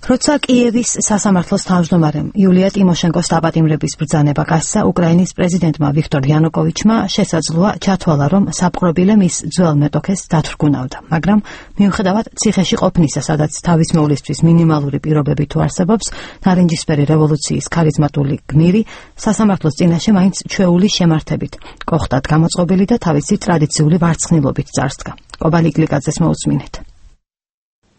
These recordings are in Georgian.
როცა კიევის სასამართლოს თავმჯდომარემ იულია ტიმოშენკოს დაპატიმრების ბრძანება გასცა, უკრაინის პრეზიდენტმა ვიქტორ იანუკოვიჩმა შესაძლოა ჩათვალა, რომ საპყრობილე მის ძველ მეტოქეს დათრგუნავდა, მაგრამ მიუხედავად ციხეში ყოფნისა, სადაც თავის მოვლისთვის მინიმალური პირობები თუ არსებობს, ნარინჯისფერი რევოლუციის ქარიზმატული გმირი სასამართლოს წინაშე მაინც ჩვეული შემართებით, კოხტად გამოწყობილი და თავისი ტრადიციული ვარცხნილობით წარსდგა. კობალიგლიკაძეს მოусმინეთ.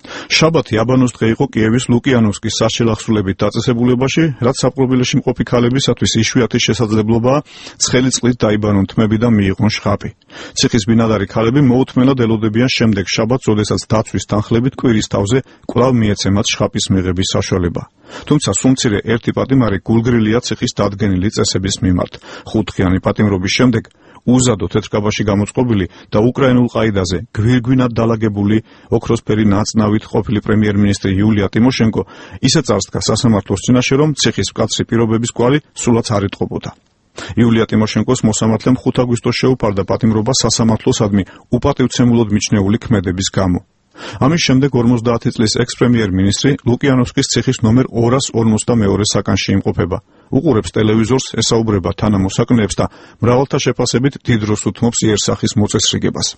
შაბათი აბანოს დღე იყო კიევის ლუკიანოვსკის საშელახსულებით დაწესებულებაში, რაც საპყრობილეში მყოფი ქალებისათვის იშვიათი შესაძლებლობაა ცხელი წყლით დაიბანონ თმები და მიიღონ შხაპი. ციხის ბინადარი ქალები მოუთმენად ელოდებიან შემდეგ შაბათს, როდესაც დაცვის თანხლებით კვირის თავზე კვლავ მიეცემათ შხაპის მიღების საშუალება. თუმცა სულმცირე ერთი პატიმარი გულგრილია ციხის დადგენილი წესების მიმართ. 5 დღიანი პატიმრობის შემდეგ უზადო თეთრკაბაში გამოწყობილი და უკრაინულ ყაიდაზე გვირგვინად დალაგებული ოქროსფერი ნაწნავით ყოფილი პრემიერ-მინისტრი იულია ტიმოშენკო ისე წარსდგა სასამართლოს წინაშე, რომ ციხის მკაცრი პირობების კვალი სულაც არ იტყობოდა. იულია ტიმოშენკოს მოსამართლემ 5 აგვისტოს შეუფარდა პატიმრობა სასამართლოსადმი უპატივცემულოდ მიჩნეული ქმედების გამო. ამის შემდეგ 50 წლის ექს-პრემიერ-მინისტრი ლუკიანოვსკის ციხის ნომერ 252 საკანში იმყოფება. უყურებს ტელევიზორს, ესაუბრება თანამოსაკნეებს და მრავალთა შეფასებით დიდ დროს უთმობს იერსახის მოწესრიგებას.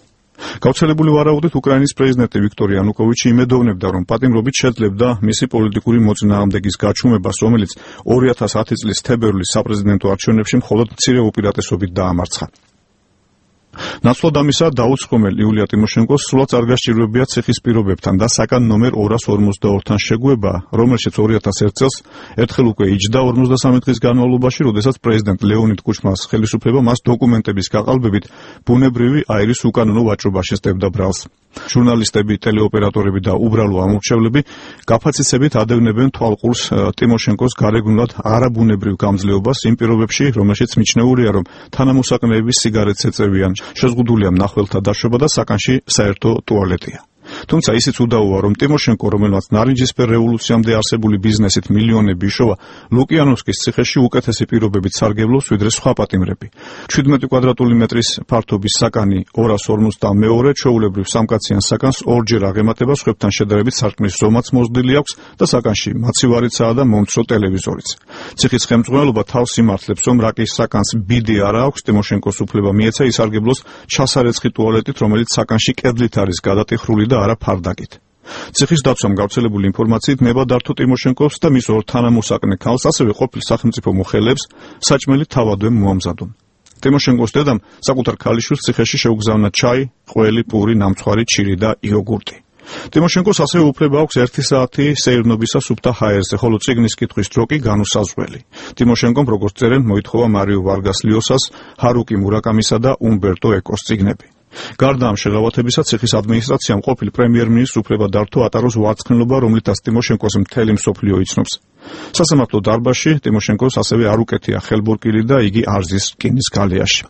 გავრცელებული ვარაუდით უკრაინის პრეზიდენტი ვიქტორ იანუკოვიჩი იმედოვნებდა, რომ პატიმრობით შეძლებდა მისი პოლიტიკური მოწინააღმდეგის გაჩუმებას, რომელიც 2010 წლის თებერვლის საპრეზიდენტო არჩევნებში მხოლოდ მცირე უპირატესობით დაამარცხა. ნაცვლად ამისა, დაუცხრომელ იულია ტიმოშენკოს სულაც არ გასჭირვებია ციხის პირობებთან და საკან ნომერ 252-თან შეგუება, რომელშიც 2001 წელს ერთხელ უკვე იჯდა 53 დღის განმავლობაში, როდესაც პრეზიდენტ ლეონიდ კუჩმას ხელისუფლება მას დოკუმენტების გაყალბებით ბუნებრივი აირის უკანონო ვაჭრობაში სდებდა ბრალს. ჟურნალისტები, ტელეოპერატორები და უბრალო ამორჩევლები გაფაციცებით ადევნებენ თვალყურს ტიმოშენკოს გარეგნულად არაბუნებრივ გამძლეობას იმ პირობებში, რომელშიც მიჩნეულია, რომ თანამოსაკნეები სიგარეტს ეწევიან, შეზღუდულია მნახველთა დაშვება და საკანში საერთო ტუალეტია. თუმცა ისიც უდავოა, რომ ტიმოშენკო, რომელმაც ნარინჯისფერ რევოლუციამდე არსებული ბიზნესით მილიონები იშოვა, ლუკიანოვსკის ციხეში უკეთესი პირობებით სარგებლობს, ვიდრე სხვა პატიმრები. 17 კვადრატული მეტრის ფართობის საკანი 252, ჩვეულებრივ სამკაციან საკანს ორჯერ აღემატება, სხვებთან შედარებით სარკმლის ზომაც მოზრდილი აქვს და საკანში მაცივარიცაა და მომცრო ტელევიზორიც. ციხის ხელმძღვანელობა თავს იმართლებს, რომ რაკის საკანს ბიდი არ აქვს, ტიმოშენკოს უფლება მიეცა ისარგებლოს ჩასარეცხი ტუალეტით, რომელიც საკანში კედლით არის გადატიხრული და არა ფარდაკით. ციხის დაცვამ გავრცელებული ინფორმაციით ნება დართო ტიმოშენკოს და მის ორ თანამოსაკნე ქალს, ასევე ყოფილ სახელმწიფო მოხელეებს საჭმელი თავადვე მოამზადონ. ტიმოშენკოს დედამ საკუთარ ქალიშვილს ციხეში შეუგზავნა ჩაი, ყველი, პური, ნამცხვარი, ჩირი და იოგურტი. ტიმოშენკოს ასევე უფლება აქვს 1 საათი სეირნობისა სუფთა ჰაერზე, ხოლო წიგნის კითხვის დრო კი განუსაზღვრელი. ტიმოშენკომ, როგორც წერენ, მოითხოვა მარიო ვარგას ლიოსას, ჰარუკი მურაკამისა და უმბერტო ეკოს წიგნები. გარდა ამ შეღავათებისა, ციხის ადმინისტრაციამ ყოფილ პრემიერ-მინისტრს უფლება დართო ატაროს ვარცხნილობა, რომლითაც ტიმოშენკოს მთელი მსოფლიო იცნობს. სასამართლო დარბაზში ტიმოშენკოს ასევე არ უკეთია ხელბურკილი და იგი არ ზის რკინის გალიაში.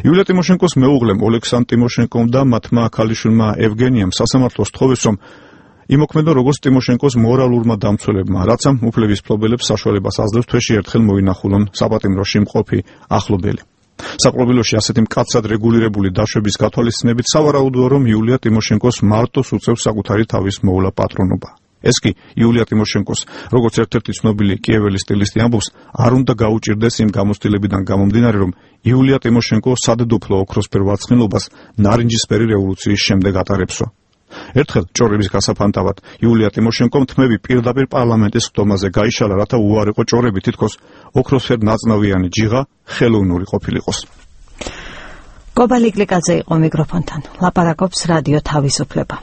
იულია ტიმოშენკოს მეუღლემ ოლექსანდრ ტიმოშენკომ და მათმა ქალიშვილმა ევგენიამ სასამართლოს თხოვეს, რომ იმოქმედონ როგორც ტიმოშენკოს მორალურმა დამცველებმა, რაც ამ უფლების მფლობელებს საშუალებას აძლევს თვეში ერთხელ მოინახულონ საპატიმროში მყოფი ახლობელი. საპყრობილეში ასეთი მკაცრად რეგულირებული დაშვების გათვალისწინებით სავარაუდოა, რომ იულია ტიმოშენკოს მარტოს უწევს საკუთარი თავის მოვლა პატრონობა. ეს კი იულია ტიმოშენკოს, როგორც ერთ-ერთი ცნობილი კიეველი სტილისტი ამბობს, არ უნდა გაუჭირდეს იმ გამოცდილებიდან გამომდინარე, რომ იულია ტიმოშენკო სადედოფლო ოქროსფერ ვარცხნილობას ნარინჯისფერი რევოლუციის შემდეგ ატარებსო. ერთხელ ჭორების გასაფანტავად იულია ტიმოშენკომ თმები პირდაპირ პარლამენტის ხდომაზე გაიშალა, რათა უარყო ჭორები თითქოს ოქროსფერ ნაწნავიანი ჯიღა ხელოვნური ყოფილიყოს. კობალიგლიკაძე იყო მიკროფონთან. ლაპარაკობს რადიო თავისუფლება.